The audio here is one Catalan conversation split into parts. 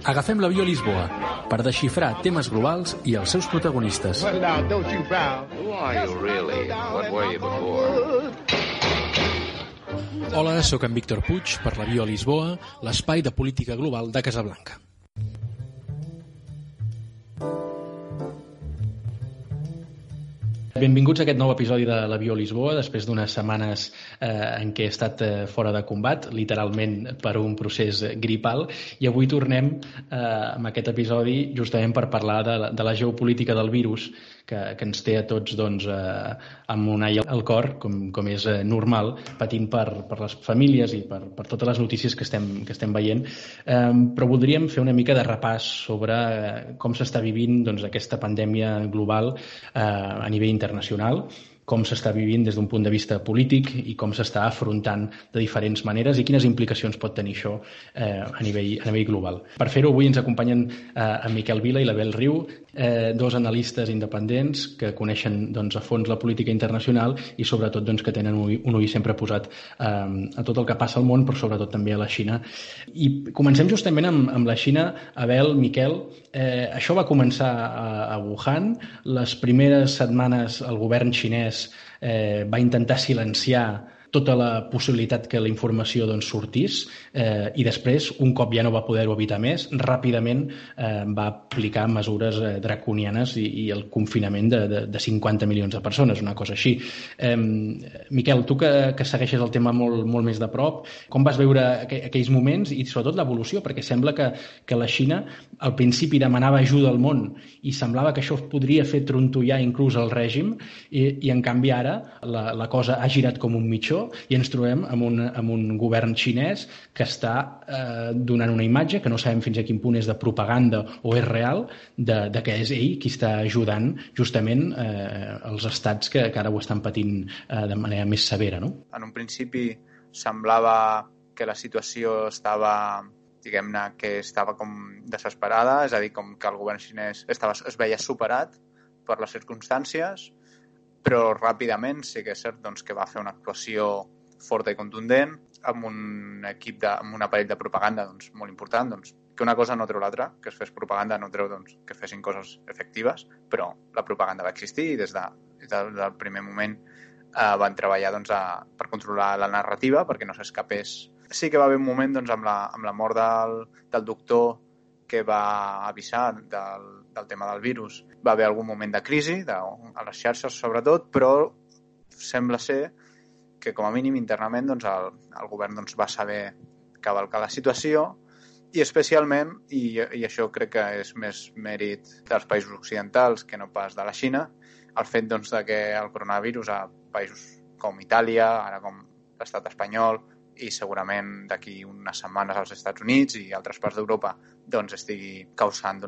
Agafem l'avió a Lisboa per desxifrar temes globals i els seus protagonistes. Hola, sóc en Víctor Puig per l'avió a Lisboa, l'espai de política global de Casablanca. Benvinguts a aquest nou episodi de l'Avió a Lisboa, després d'unes setmanes en què he estat fora de combat, literalment per un procés gripal, i avui tornem amb aquest episodi justament per parlar de la geopolítica del virus, que ens té a tots amb un all al cor, com és normal, patint per les famílies i per totes les notícies que estem veient. Però voldríem fer una mica de repàs sobre com s'està vivint aquesta pandèmia global a nivell internacional, com s'està vivint des d'un punt de vista polític i com s'està afrontant de diferents maneres i quines implicacions pot tenir això a nivell global. Per fer-ho, avui ens acompanyen en Miquel Vila i l'Abel Riu, dos analistes independents que coneixen a fons la política internacional i sobretot que tenen un ull sempre posat a tot el que passa al món, però sobretot també a la Xina. I comencem justament amb la Xina. Abel, Miquel, això va començar a Wuhan. Les primeres setmanes el govern xinès va intentar silenciar tota la possibilitat que la informació sortís i després, un cop ja no va poder-ho evitar més, ràpidament va aplicar mesures draconianes i el confinament de 50 milions de persones, una cosa així. Miquel, tu que segueixes el tema molt més de prop, com vas veure aquells moments i sobretot l'evolució? Perquè sembla que la Xina al principi demanava ajuda al món i semblava que això podria fer trontollar inclús el règim i en canvi ara la cosa ha girat com un mitjó i ens trobem amb un govern xinès que està donant una imatge que no sabem fins a quin punt és de propaganda o és real, de que és ell qui està ajudant justament els estats que ara ho estan patint de manera més severa, no? En un principi semblava que la situació estava, diguem-ne, que estava com desesperada, és a dir, com que el govern xinès es veia superat per les circumstàncies, però ràpidament sí que és cert que va fer una actuació forta i contundent amb un aparell de propaganda molt important, que una cosa no treu l'altra, que es fes propaganda no treu que fessin coses efectives, però la propaganda va existir i des del primer moment van treballar per controlar la narrativa perquè no s'escapés. Sí que va haver un moment amb la mort del doctor que va avisar del tema del virus. Va haver algun moment de crisi, a les xarxes sobretot, però sembla ser que com a mínim internament el govern va saber cavalcar la situació i especialment, i això crec que és més mèrit dels països occidentals que no pas de la Xina, el fet de que el coronavirus a països com Itàlia, ara com l'estat espanyol, i segurament d'aquí unes setmanes als Estats Units i altres parts d'Europa estigui causant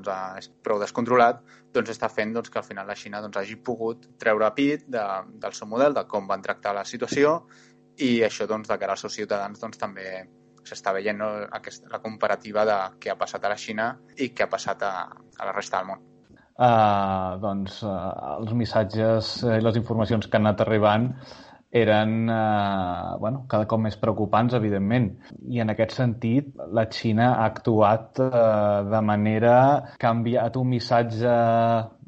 prou descontrolat, està fent que al final la Xina hagi pogut treure pit del seu model, de com van tractar la situació, i això de cara als seus ciutadans també s'està veient la comparativa de què ha passat a la Xina i què ha passat a la resta del món. Els missatges i les informacions que han anat arribant eren cada cop més preocupants, evidentment. I en aquest sentit, la Xina ha actuat de manera que ha enviat un missatge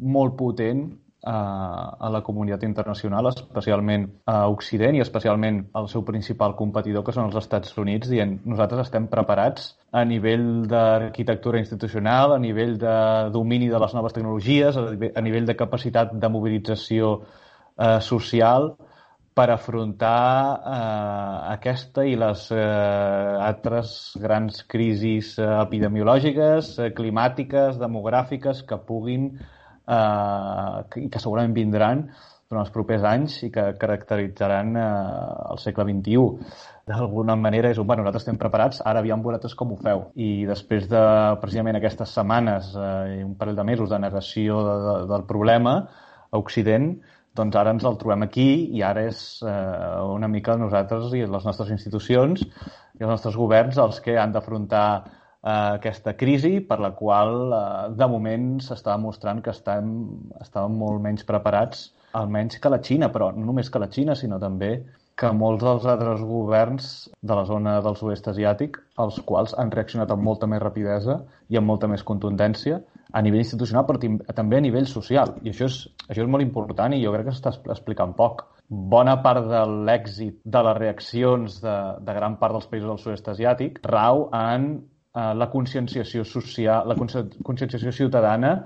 molt potent a la comunitat internacional, especialment a Occident i especialment al seu principal competidor, que són els Estats Units, dient nosaltres estem preparats a nivell d'arquitectura institucional, a nivell de domini de les noves tecnologies, a nivell de capacitat de mobilització social, per afrontar aquesta i les altres grans crisis epidemiològiques, climàtiques, demogràfiques que puguin i que segurament vindran durant els propers anys i que caracteritzaran el segle XXI. D'alguna manera és nosaltres estem preparats, ara aviam vosaltres com ho feu. I després de precisament aquestes setmanes i un parell de mesos de negació del problema a Occident, ara ens el trobem aquí i ara és una mica nosaltres i les nostres institucions i els nostres governs els que han d'afrontar aquesta crisi per la qual de moment s'està demostrant que estàvem molt menys preparats, almenys que la Xina, però no només que la Xina, sinó també que molts dels altres governs de la zona del sud-est asiàtic, els quals han reaccionat amb molta més rapidesa i amb molta més contundència a nivell institucional, però també a nivell social. I això és molt important i jo crec que s'està explicant poc. Bona part de l'èxit de les reaccions de gran part dels països del sud-est asiàtic rau en la conscienciació social, la conscienciació ciutadana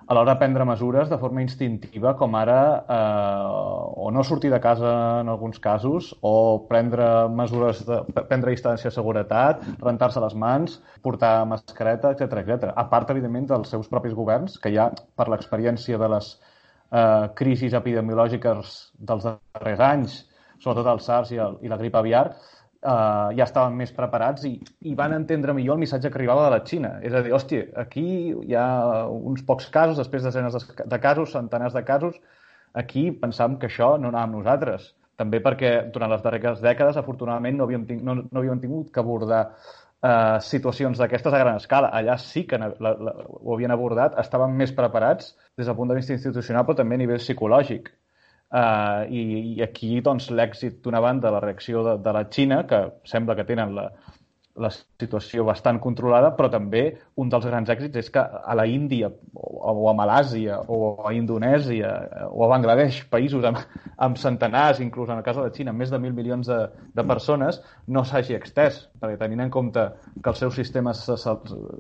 a l'hora de prendre mesures de forma instintiva, com ara o no sortir de casa en alguns casos, o prendre mesures prendre distància de seguretat, rentar-se les mans, portar mascareta, etc. A part, evidentment, dels seus propis governs, que ja, per l'experiència de les crisis epidemiològiques dels darrers anys, sobretot el SARS i la grip aviar, ja estaven més preparats i van entendre millor el missatge que arribava de la Xina. És a dir, hòstia, aquí hi ha uns pocs casos, després desenes de casos, centenars de casos. Aquí pensàvem que això no anava amb nosaltres. També perquè durant les darreres dècades, afortunadament, no havíem tingut que abordar situacions d'aquestes a gran escala. Allà sí que ho havien abordat, estaven més preparats des del punt de vista institucional, però també a nivell psicològic. I aquí doncs, l'èxit d'una banda, la reacció de la Xina, que sembla que tenen la situació bastant controlada, però també un dels grans èxits és que a la Índia o a Malàsia o a Indonèsia o a Bangladesh, països amb centenars, inclús en el cas de la Xina, més de 1.000 milions de persones, no s'hagi extès, perquè tenint en compte que els seus sistemes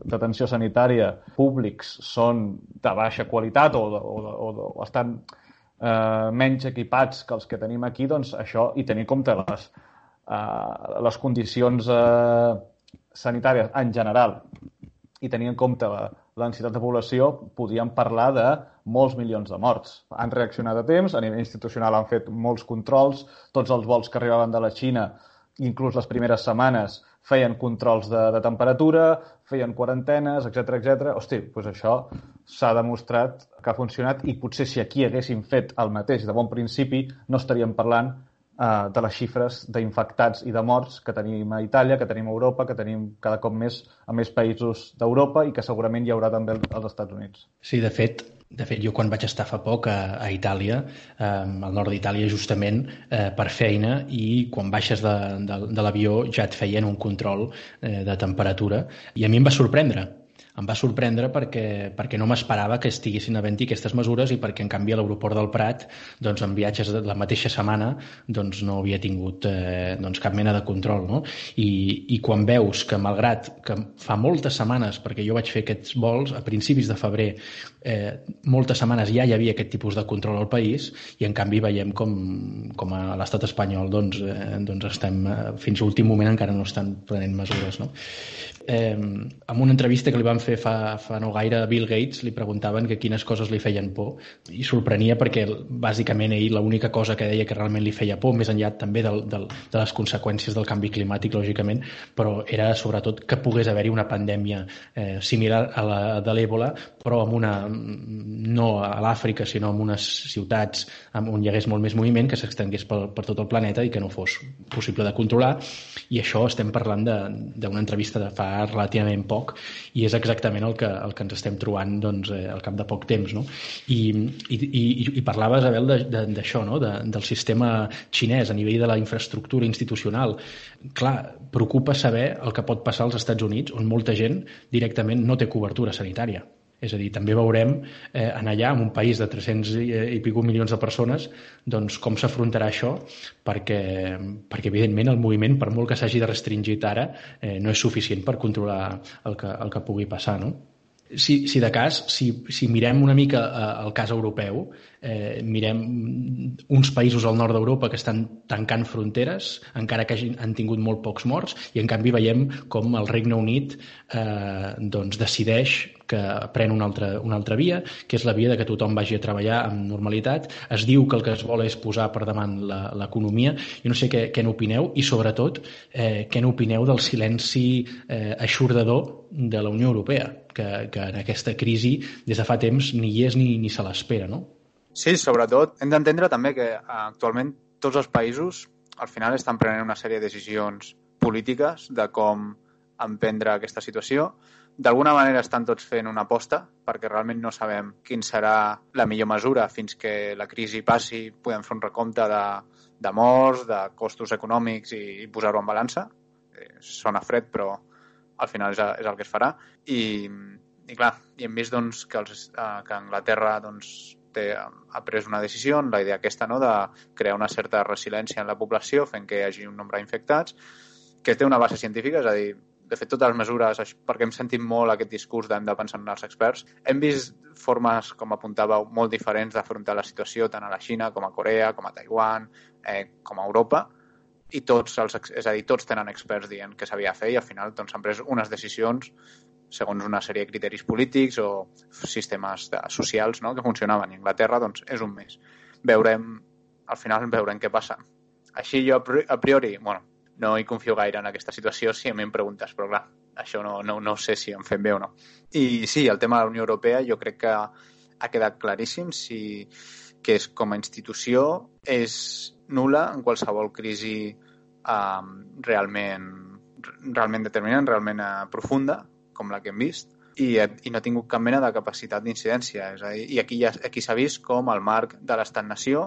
d'atenció sanitària públics són de baixa qualitat o estan menys equipats que els que tenim aquí, doncs això, i tenir en compte les condicions sanitàries en general i tenir en compte la densitat de població, podríem parlar de molts milions de morts. Han reaccionat a temps, a nivell institucional han fet molts controls, tots els vols que arribaven de la Xina, inclús les primeres setmanes, feien controls de temperatura, feien quarantenes, etc. Hosti, doncs això s'ha demostrat que ha funcionat i potser si aquí haguéssim fet el mateix de bon principi no estaríem parlant de les xifres d'infectats i de morts que tenim a Itàlia, que tenim a Europa, que tenim cada cop més a més països d'Europa i que segurament hi haurà també als Estats Units. Sí, de fet, jo quan vaig estar fa poc a Itàlia, al nord d'Itàlia justament, per feina, i quan baixes de l'avió ja et feien un control de temperatura i a mi em va sorprendre. Em va sorprendre perquè no m'esperava que estiguessin havent-hi aquestes mesures i perquè, en canvi, a l'aeroport del Prat, doncs, en viatges de la mateixa setmana, doncs, no havia tingut cap mena de control, no? I quan veus que, malgrat que fa moltes setmanes, perquè jo vaig fer aquests vols a principis de febrer, moltes setmanes ja hi havia aquest tipus de control al país i, en canvi, veiem com a l'estat espanyol doncs estem, fins a l'últim moment encara no estan prenent mesures, no? En una entrevista que li van fer fa no gaire a Bill Gates, li preguntaven que quines coses li feien por i sorprenia perquè bàsicament ell l'única cosa que deia que realment li feia por, més enllà també de les conseqüències del canvi climàtic, lògicament, però era sobretot que pogués haver-hi una pandèmia similar a la de l'Ebola, però no a l'Àfrica, sinó en unes ciutats on hi hagués molt més moviment, que s'extengués per tot el planeta i que no fos possible de controlar. I això estem parlant d'una entrevista de fa relativament poc i és exactament el que ens estem trobant al cap de poc temps, no? I parlaves, Abel, d'això, no? Del sistema xinès a nivell de la infraestructura institucional. Clar, preocupa saber el que pot passar als Estats Units, on molta gent directament no té cobertura sanitària. És a dir, també veurem en allà, en un país de 300 i pico milions de persones, doncs com s'afrontarà això, perquè evidentment el moviment, per molt que s'hagi de restringir ara, no és suficient per controlar el que pugui passar, no? Si de cas, si mirem una mica el cas europeu, mirem uns països al nord d'Europa que estan tancant fronteres, encara que han tingut molt pocs morts, i en canvi veiem com el Regne Unit decideix que pren una altra via, que és la via de que tothom vagi a treballar amb normalitat. Es diu que el que es vol és posar per davant l'economia. Jo no sé què n'opineu i, sobretot, què n'opineu del silenci eixordador de la Unió Europea, que en aquesta crisi des de fa temps ni hi és ni se l'espera, no? Sí, sobretot hem d'entendre també que actualment tots els països al final estan prenent una sèrie de decisions polítiques de com emprendre aquesta situació. D'alguna manera estan tots fent una aposta perquè realment no sabem quina serà la millor mesura fins que la crisi passi, podem fer un recompte de morts, de costos econòmics i posar-ho en balança. Sona fred, però al final és el que es farà. I clar, i hem vist doncs, que Anglaterra doncs, ha pres una decisió, la idea aquesta, no?, de crear una certa resiliència en la població fent que hi hagi un nombre d'infectats, que té una base científica, és a dir, de fet, totes les mesures, perquè hem sentit molt aquest discurs d'hem de pensar en els experts, hem vist formes, com apuntàveu, molt diferents d'afrontar la situació, tant a la Xina com a Corea, com a Taiwan, com a Europa, i tots tenen experts dient què s'havia de fer i al final doncs, s'han pres unes decisions segons una sèrie de criteris polítics o sistemes socials, no?, que funcionaven. I Anglaterra doncs, és un mes. Al final veurem què passa. Així jo, a priori, no hi confio gaire en aquesta situació si a mi em preguntes, però clar, això no sé si em fem bé o no. I sí, el tema de la Unió Europea jo crec que ha quedat claríssim que és, com a institució és nul·la en qualsevol crisi realment determinant, realment profunda, com la que hem vist, i no ha tingut cap mena de capacitat d'incidència. És a dir, i aquí s'ha vist com el marc de l'estat-nació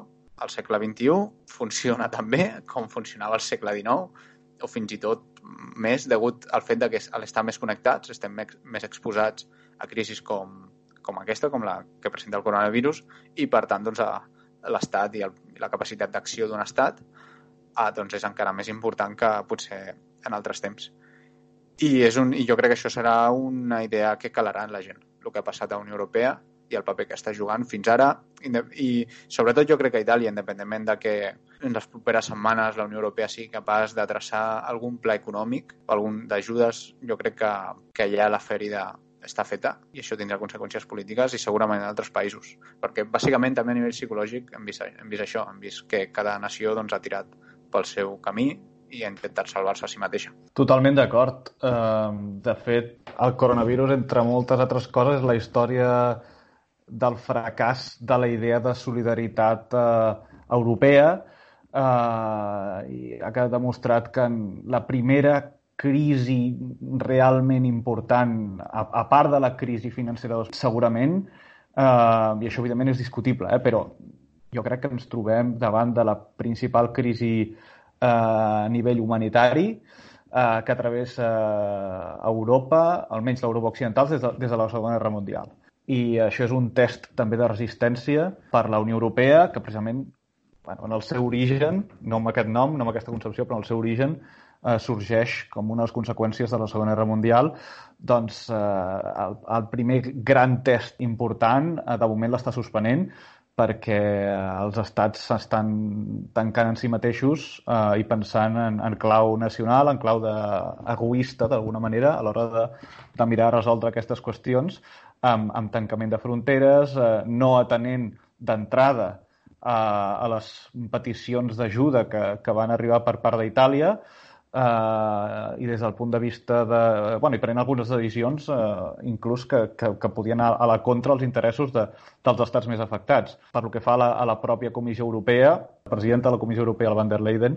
al segle XXI funciona tan bé com funcionava al segle XIX, o fins i tot més degut al fet que a l'estar més connectats estem més exposats a crisis com aquesta, com la que presenta el coronavirus, i per tant doncs, l'estat i la capacitat d'acció d'un estat doncs és encara més important que potser en altres temps. I jo crec que això serà una idea que calarà en la gent, el que ha passat a la Unió Europea i el paper que està jugant fins ara. I sobretot jo crec que Itàlia, independentment de que en les properes setmanes la Unió Europea sigui capaç de traçar algun pla econòmic o algun d'ajudes, jo crec que allà la ferida està feta i això tindrà conseqüències polítiques i segurament en altres països. Perquè bàsicament també a nivell psicològic hem vist això, hem vist que cada nació doncs, ha tirat pel seu camí i ha intentat salvar-se a si mateixa. Totalment d'acord. De fet, el coronavirus, entre moltes altres coses, és la història del fracàs de la idea de solidaritat europea i ha quedat demostrat que en la primera crisi realment important, a part de la crisi financera, segurament, i això evidentment és discutible, però jo crec que ens trobem davant de la principal crisi a nivell humanitari que travessa Europa, almenys l'Europa occidental, des de la Segona Guerra Mundial. I això és un test també de resistència per la Unió Europea, que precisament en el seu origen, no amb aquest nom, no amb aquesta concepció, però en el seu origen sorgeix com una de les conseqüències de la Segona Guerra Mundial. Doncs el primer gran test important de moment l'està suspenent perquè els estats s'estan tancant en si mateixos i pensant en clau nacional, en clau egoista, d'alguna manera, a l'hora de mirar a resoldre aquestes qüestions amb tancament de fronteres, no atenent d'entrada a les peticions d'ajuda que van arribar per part d'Itàlia, i des del punt de vista i prenent algunes decisions inclús que podien anar a la contra els interessos dels estats més afectats. Per lo que fa a la pròpia Comissió Europea, la presidenta de la Comissió Europea, la Van der Leyen,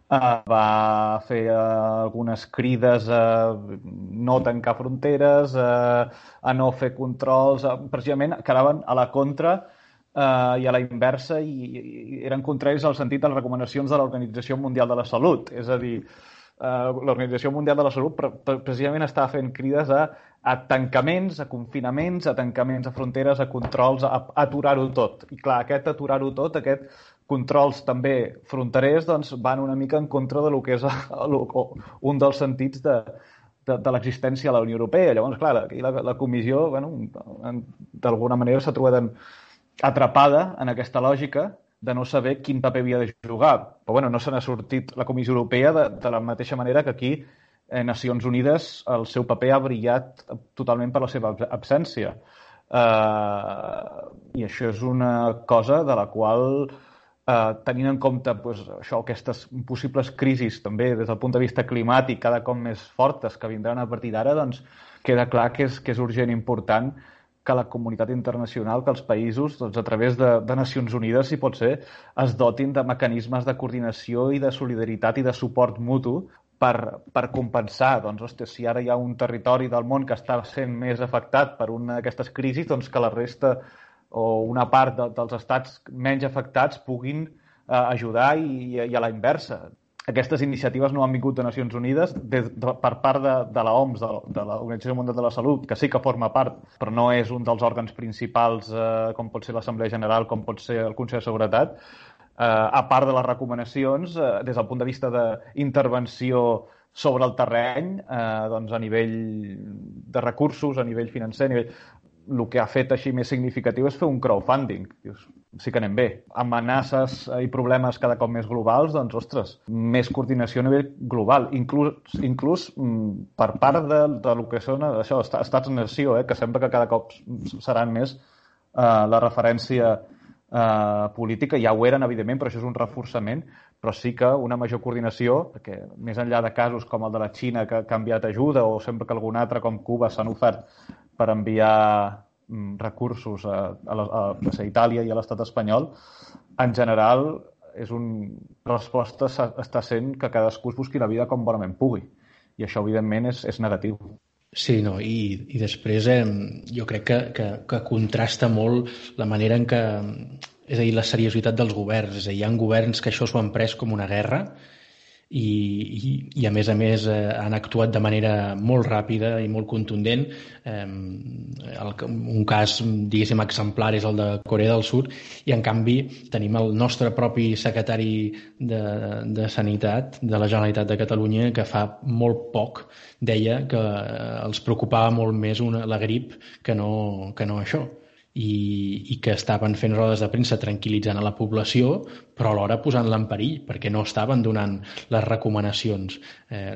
va fer algunes crides a no tancar fronteres, a no fer controls, precisament que anaven a la contra i a la inversa i eren contraris al sentit de les recomanacions de l'Organització Mundial de la Salut. És a dir, l'Organització Mundial de la Salut precisament estava fent crides a tancaments, a confinaments, a tancaments a fronteres, a controls, a aturar-ho tot. I clar, aquest aturar-ho tot, aquest controls també fronterers, doncs van una mica en contra de lo que és un dels sentits de l'existència de la Unió Europea. Llavors, clar, aquí la comissió, d'alguna manera s'ha trobat atrapada en aquesta lògica de no saber quin paper havia de jugar. Però no se n'ha sortit la Comissió Europea de la mateixa manera que aquí Nacions Unides el seu paper ha brillat totalment per la seva absència. I això és una cosa de la qual, tenint en compte aquestes possibles crisis també des del punt de vista climàtic cada cop més fortes que vindran a partir d'ara, doncs queda clar que és urgent i important que la comunitat internacional, que els països, doncs, a través de Nacions Unides, si pot ser, es dotin de mecanismes de coordinació i de solidaritat i de suport mutu per compensar. Doncs, si ara hi ha un territori del món que està sent més afectat per una d'aquestes crisis, doncs que la resta o una part dels estats menys afectats puguin ajudar i a la inversa. Aquestes iniciatives no han vingut de Nacions Unides per part de l'OMS, de l'Organització Mundial de la Salut, que sí que forma part, però no és un dels òrgans principals, com pot ser l'Assemblea General, com pot ser el Consell de Seguretat. A part de les recomanacions, des del punt de vista d'intervenció sobre el terreny, doncs a nivell de recursos, a nivell financer, el que ha fet així més significatiu és fer un crowdfunding. Sí que anem bé. Amenaces i problemes cada cop més globals, doncs, ostres, més coordinació a nivell global. Inclús per part de lo que són això, estats-nació, que sembla que cada cop seran més la referència política. Ja ho eren, evidentment, però això és un reforçament, però sí que una major coordinació, perquè més enllà de casos com el de la Xina, que ha canviat ajuda, o sempre que algun altre, com Cuba, s'han ofert per enviar recursos a Itàlia i a l'estat espanyol, en general la resposta està sent que cadascú es busqui la vida com bonament pugui. I això, evidentment, és negatiu. Sí, no, i després jo crec que contrasta molt la manera en què, és a dir, la seriositat dels governs. És a dir, hi ha governs que això s'ho han pres com una guerra i a més han actuat de manera molt ràpida i molt contundent. Un cas, diguéssim, exemplar és el de Corea del Sud, i en canvi tenim el nostre propi secretari de Sanitat de la Generalitat de Catalunya, que fa molt poc deia que els preocupava molt més la grip que no això. I que estaven fent rodes de premsa tranquil·litzant a la població, però alhora posant-la en perill, perquè no estaven donant les recomanacions.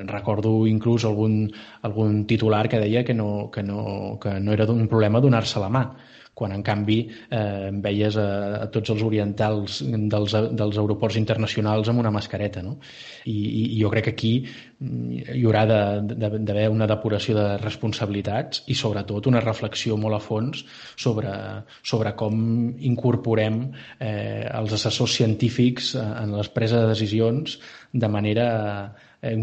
Recordo inclús algun titular que deia que no era un problema donar-se la mà, quan en canvi veies a tots els orientals dels aeroports internacionals amb una mascareta, no? I jo crec que aquí hi haurà d'haver una depuració de responsabilitats i sobretot una reflexió molt a fons sobre com incorporem els assessors científics en les preses de decisions de manera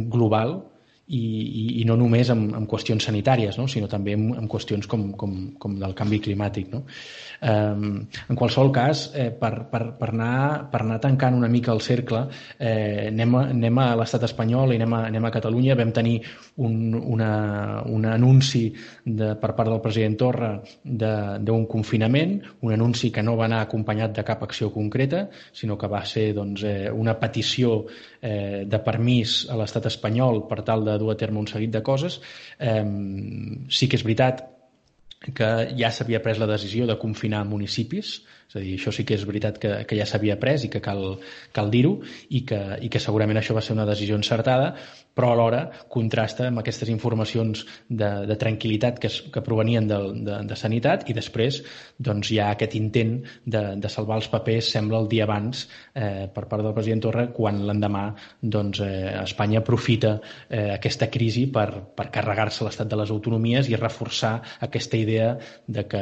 global i no només en qüestions sanitàries, no? Sinó també en qüestions com del canvi climàtic, no? En qualsevol cas, per anar tancant una mica el cercle, anem a l'estat espanyol i anem a Catalunya. Vam tenir un anunci per part del president Torra d'un confinament, un anunci que no va anar acompanyat de cap acció concreta, sinó que va ser una petició de permís a l'estat espanyol per tal de dur a terme un seguit de coses. Sí que és veritat que ja s'havia pres la decisió de confinar municipis, és a dir, això sí que és veritat que ja s'havia pres i que cal dir-ho, i que segurament això va ser una decisió encertada, però alhora contrasta amb aquestes informacions de tranquil·litat que provenien de Sanitat, i després doncs, hi ha aquest intent de salvar els papers, sembla el dia abans, per part del president Torra, quan l'endemà Espanya aprofita aquesta crisi per carregar-se l'estat de les autonomies i reforçar aquesta idea de que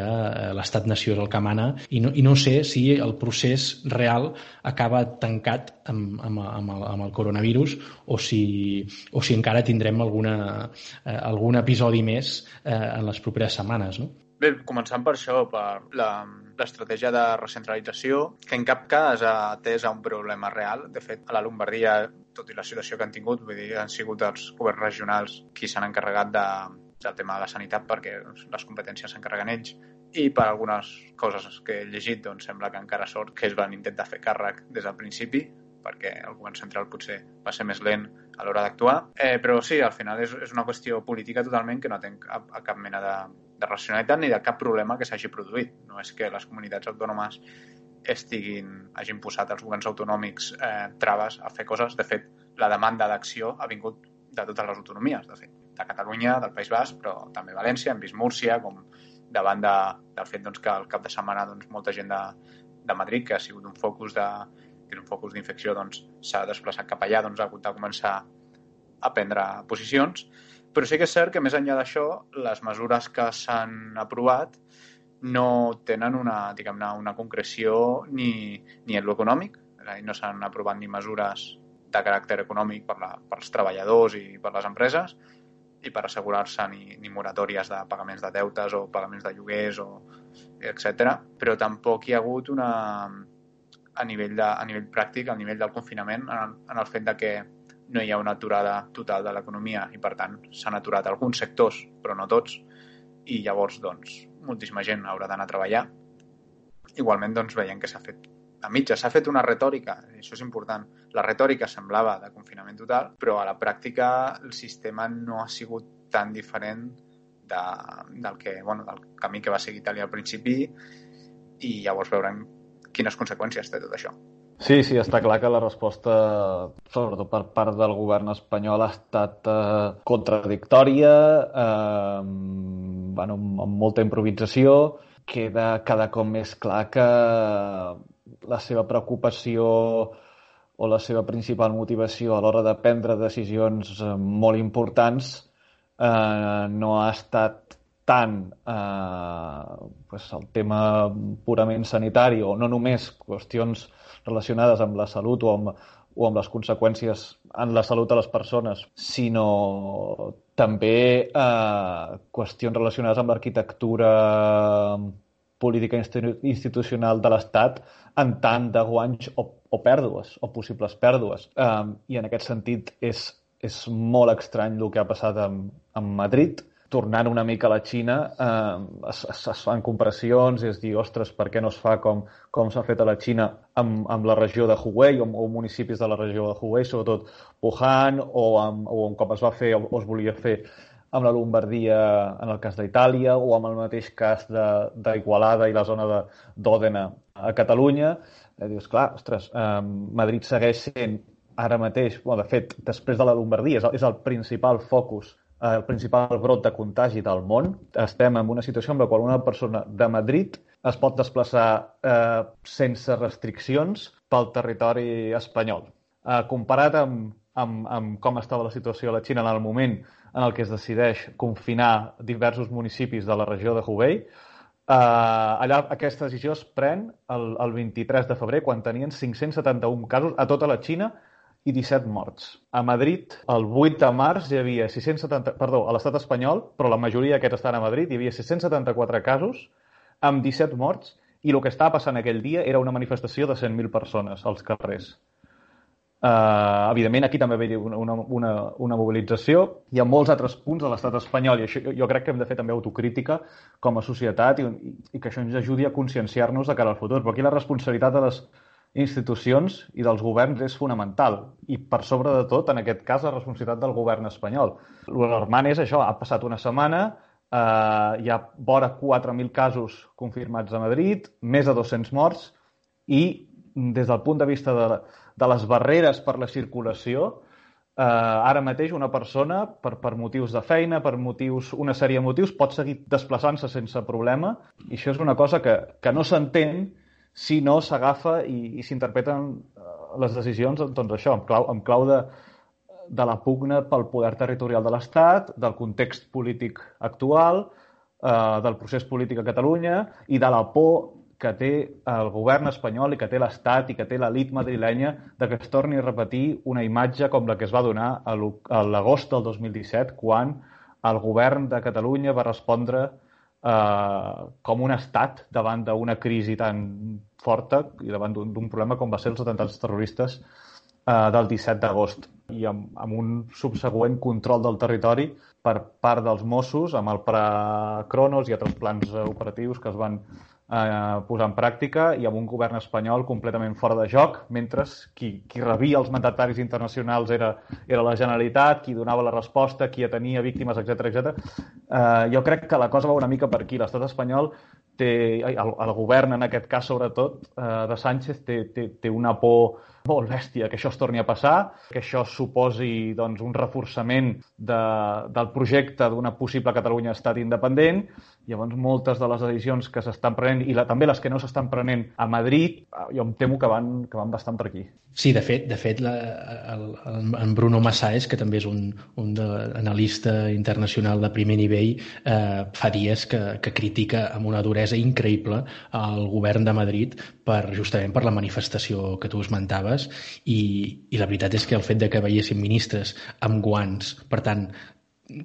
l'estat-nació és el que mana, i no sé si el procés real acaba tancat amb el coronavirus o si encara tindrem algun episodi més en les properes setmanes, no? Bé, començant per això, per l'estratègia de recentralització, que en cap cas ha atès a un problema real. De fet, a la Llombardia, tot i la situació que han tingut, vull dir, han sigut els governs regionals qui s'han encarregat del tema de la sanitat, perquè les competències s'encarreguen ells, i per algunes coses que he llegit, doncs sembla que encara sort que es van intentar fer càrrec des del principi, perquè el govern central potser va ser més lent a l'hora d'actuar. Però sí, al final és una qüestió política totalment que no té cap mena de racionalitat ni de cap problema que s'hagi produït. No és que les comunitats autònomes hagin posat als governs autonòmics traves a fer coses. De fet, la demanda d'acció ha vingut de totes les autonomies, de fet, de Catalunya, del País Basc, però també València, hem vist Múrcia, com davant del fet que al cap de setmana molta gent de Madrid, que ha sigut un focus d'infecció, s'ha desplaçat cap allà, ha hagut de començar a prendre posicions. Però sí que és cert que més enllà d'això, les mesures que s'han aprovat no tenen una concreció ni en l'econòmic, és a dir, no s'han aprovat ni mesures de caràcter econòmic pels treballadors i per les empreses, i per assegurar-se ni moratòries de pagaments de deutes o pagaments de lloguers, etc. Però tampoc hi ha hagut a nivell pràctic, a nivell del confinament, en el fet de que no hi ha una aturada total de l'economia i, per tant, s'han aturat alguns sectors, però no tots, i llavors, doncs, moltíssima gent haurà d'anar a treballar. Igualment, doncs, veiem que s'ha fet a mitja. S'ha fet una retòrica, i això és important. La retòrica semblava de confinament total, però a la pràctica el sistema no ha sigut tan diferent del camí que va seguir Itàlia al principi, i llavors veurem quines conseqüències té tot això. Sí, està clar que la resposta, sobretot per part del govern espanyol, ha estat contradictòria, amb molta improvisació. Queda cada cop més clar que la seva preocupació o la seva principal motivació a l'hora de prendre decisions molt importants no ha estat tant el tema purament sanitari o no només qüestions relacionades amb la salut o amb les conseqüències en la salut de les persones, sinó també qüestions relacionades amb l'arquitectura política institucional de l'Estat en tant de guanys o pèrdues, o possibles pèrdues. I en aquest sentit és molt estrany el que ha passat amb Madrid. Tornant una mica a la Xina, es fan comparacions i es diu, ostres, per què no es fa com s'ha fet a la Xina amb la regió de Hubei o municipis de la regió de Hubei, sobretot Wuhan, o com es va fer o es volia fer amb la Lombardia en el cas d'Itàlia, o amb el mateix cas d'Igualada i la zona d'Òdena a Catalunya. Dius, clar, ostres, Madrid segueix sent ara mateix, de fet, després de la Lombardia, és el principal focus, el principal brot de contagi del món. Estem en una situació en la qual una persona de Madrid es pot desplaçar sense restriccions pel territori espanyol. Comparat amb com estava la situació a la Xina en el moment en el que es decideix confinar diversos municipis de la regió de Hubei, allà aquesta decisió es pren el 23 de febrer, quan tenien 571 casos a tota la Xina i 17 morts. A Madrid, el 8 de març, hi havia a l'estat espanyol, però la majoria d'aquests estan a Madrid, hi havia 674 casos amb 17 morts, i el que estava passant aquell dia era una manifestació de 100.000 persones als carrers. Evidentment, aquí també va haver una mobilització. Hi ha molts altres punts de l'estat espanyol, i això jo crec que hem de fer també autocrítica com a societat i que això ens ajudi a conscienciar-nos de cara al futur. Però aquí la responsabilitat de les institucions i dels governs és fonamental, i per sobre de tot, en aquest cas, la responsabilitat del govern espanyol. L'alarmant és això, ha passat una setmana, hi ha vora 4.000 casos confirmats a Madrid, més de 200 morts, i des del punt de vista de les barreres per la circulació, ara mateix una persona, per motius de feina, per una sèrie de motius, pot seguir desplaçant-se sense problema, i això és una cosa que no s'entén si no s'agafa i s'interpreten les decisions, doncs això, en clau de la pugna pel poder territorial de l'Estat, del context polític actual, del procés polític a Catalunya i de la por que té el govern espanyol i que té l'Estat i que té l'elit madrilenya de que es torni a repetir una imatge com la que es va donar a l'agost del 2017, quan el govern de Catalunya va respondre com un estat davant d'una crisi tan forta i davant d'un problema com va ser els atemptats terroristes del 17 d'agost, i amb un subsegüent control del territori per part dels Mossos, amb el Pla Cronos i altres plans operatius que es van posar en pràctica, i amb un govern espanyol completament fora de joc, mentre qui rebia els mandataris internacionals era la Generalitat, qui donava la resposta, qui atenia víctimes, etc. Jo crec que la cosa va una mica per aquí. L'estat espanyol el govern, en aquest cas sobretot, de Sánchez, té una por molt bèstia que això es torni a passar, que això suposi un reforçament del projecte d'una possible Catalunya estat independent. Llavors, moltes de les decisions que s'estan prenent, i també les que no s'estan prenent a Madrid, jo em temo que van bastant per aquí. Sí, de fet en Bruno Massaes, que també és un analista internacional de primer nivell, fa dies que critica amb una duresa increïble el govern de Madrid justament per la manifestació que tu esmentaves, i la veritat és que el fet de que veiéssim ministres amb guants, per tant,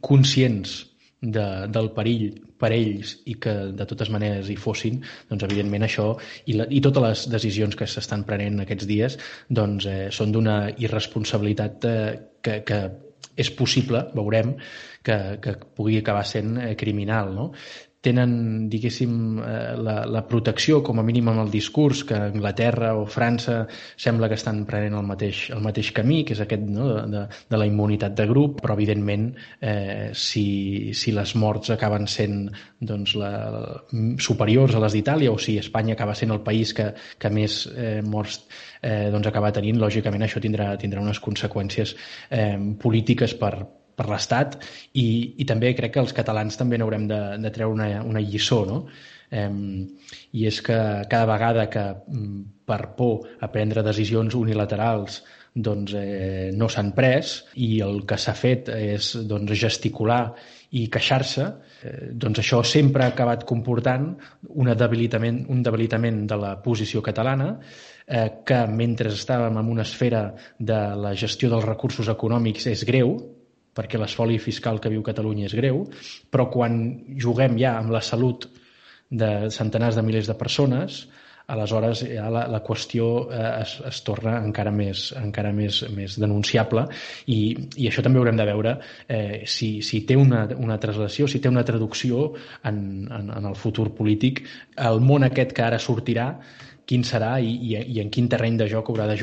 conscients del perill per ells i que de totes maneres hi fossin, doncs evidentment això i totes les decisions que s'estan prenent aquests dies doncs, són d'una irresponsabilitat que és possible, veurem, que pugui acabar sent criminal, no? Tenen, diguéssim, la protecció, com a mínim amb el discurs, que Anglaterra o França sembla que estan prenent el mateix camí, que és aquest, no?, de la immunitat de grup, però evidentment si les morts acaben sent doncs, superiors a les d'Itàlia o si Espanya acaba sent el país que més morts doncs, acaba tenint, lògicament això tindrà unes conseqüències polítiques per l'Estat i també crec que els catalans també n'haurem de treure una lliçó, no? I és que cada vegada que per por a prendre decisions unilaterals doncs, no s'han pres i el que s'ha fet és doncs, gesticular i queixar-se, doncs això sempre ha acabat comportant un debilitament de la posició catalana que mentre estàvem en una esfera de la gestió dels recursos econòmics és greu, perquè l'espoli fiscal que viu Catalunya és greu, però quan juguem ja amb la salut de centenars de milers de persones, aleshores ja la qüestió es torna encara més denunciable i això també haurem de veure si té una translació, si té una traducció en el futur polític, el món aquest que ara sortirà, quin serà i en quin terreny de joc haurà de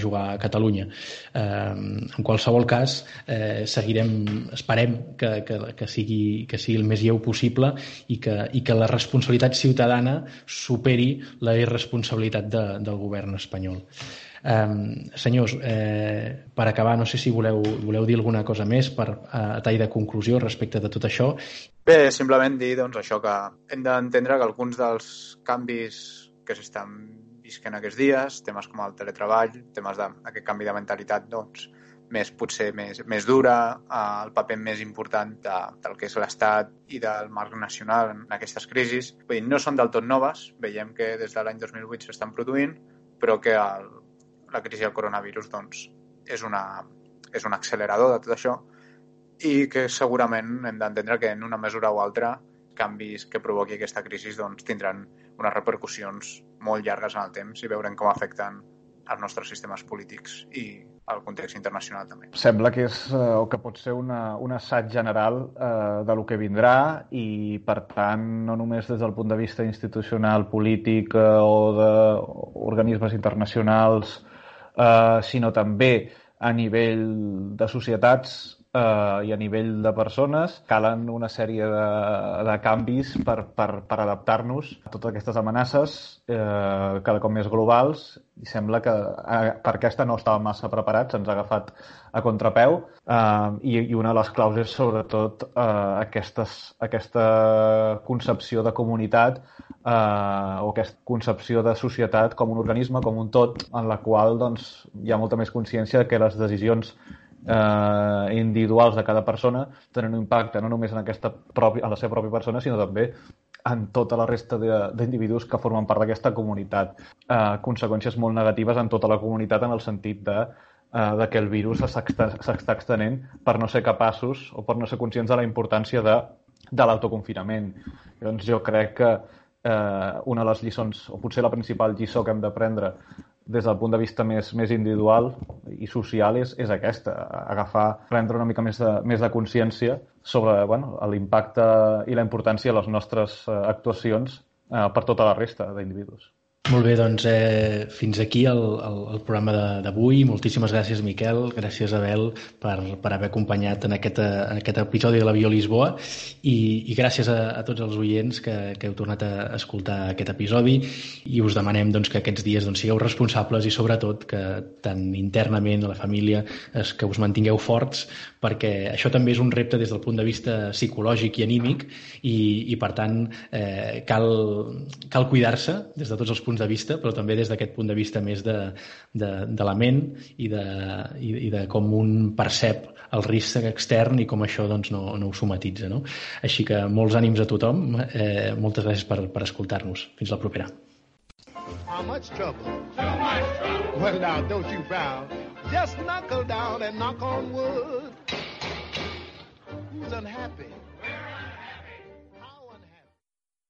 jugar Catalunya. En qualsevol cas, esperem que sigui el més lleu possible i que la responsabilitat ciutadana superi la irresponsabilitat del govern espanyol. Senyors, per acabar, no sé si voleu dir alguna cosa més a tall de conclusió respecte de tot això. Bé, simplement dir doncs, això, que hem d'entendre que alguns dels canvis que s'estan visquent aquests dies, temes com el teletreball, temes d'aquest canvi de mentalitat, doncs, potser més dura, el paper més important del que és l'Estat i del marc nacional en aquestes crisis. Vull dir, no són del tot noves, veiem que des de l'any 2008 s'estan produint, però que la crisi del coronavirus doncs, és un accelerador de tot això i que segurament hem d'entendre que en una mesura o altra canvis que provoqui aquesta crisi doncs, tindran unes repercussions molt llargues en el temps i veurem com afecten els nostres sistemes polítics i el context internacional també. Sembla que és o que pot ser un assaig general de lo que vindrà i, per tant, no només des del punt de vista institucional, polític o d'organismes internacionals, sinó també a nivell de societats i a nivell de persones, calen una sèrie de canvis per adaptar-nos a totes aquestes amenaces cada cop més globals i sembla que per aquesta no estàvem massa preparats, ens ha agafat a contrapeu i una de les claus és sobretot aquesta concepció de comunitat o aquesta concepció de societat com un organisme, com un tot, en la qual doncs, hi ha molta més consciència que les decisions individuals de cada persona tenen un impacte no només en la seva pròpia persona, sinó també en tota la resta d'individus que formen part d'aquesta comunitat. Conseqüències molt negatives en tota la comunitat en el sentit de que el virus s'està extenent per no ser capaços o per no ser conscients de la importància de l'autoconfinament. Doncs jo crec que una de les lliçons, o potser la principal lliçó que hem d'aprendre des del punt de vista més individual i social és aquesta, prendre una mica més de consciència sobre l'impacte i la importància de les nostres actuacions per tota la resta d'individus. Molt bé, doncs fins aquí el programa d'avui. Moltíssimes gràcies, Miquel, gràcies, Abel, per haver acompanyat en aquest episodi de l'Avió Lisboa i gràcies a tots els oients que heu tornat a escoltar aquest episodi i us demanem doncs, que aquests dies doncs, sigueu responsables i sobretot que tant internament a la família que us mantingueu forts perquè això també és un repte des del punt de vista psicològic i anímic i per tant cal cuidar-se des de tots els punts de vista, però també des d'aquest punt de vista més de la ment i de com un percep el risc extern i com això doncs, no ho somatitza. No? Així que molts ànims a tothom, moltes gràcies per escoltar-nos. Fins la propera. How much trouble? Too much trouble. Well, now, don't you frown. Just knuckle down and knock on wood. Who's unhappy?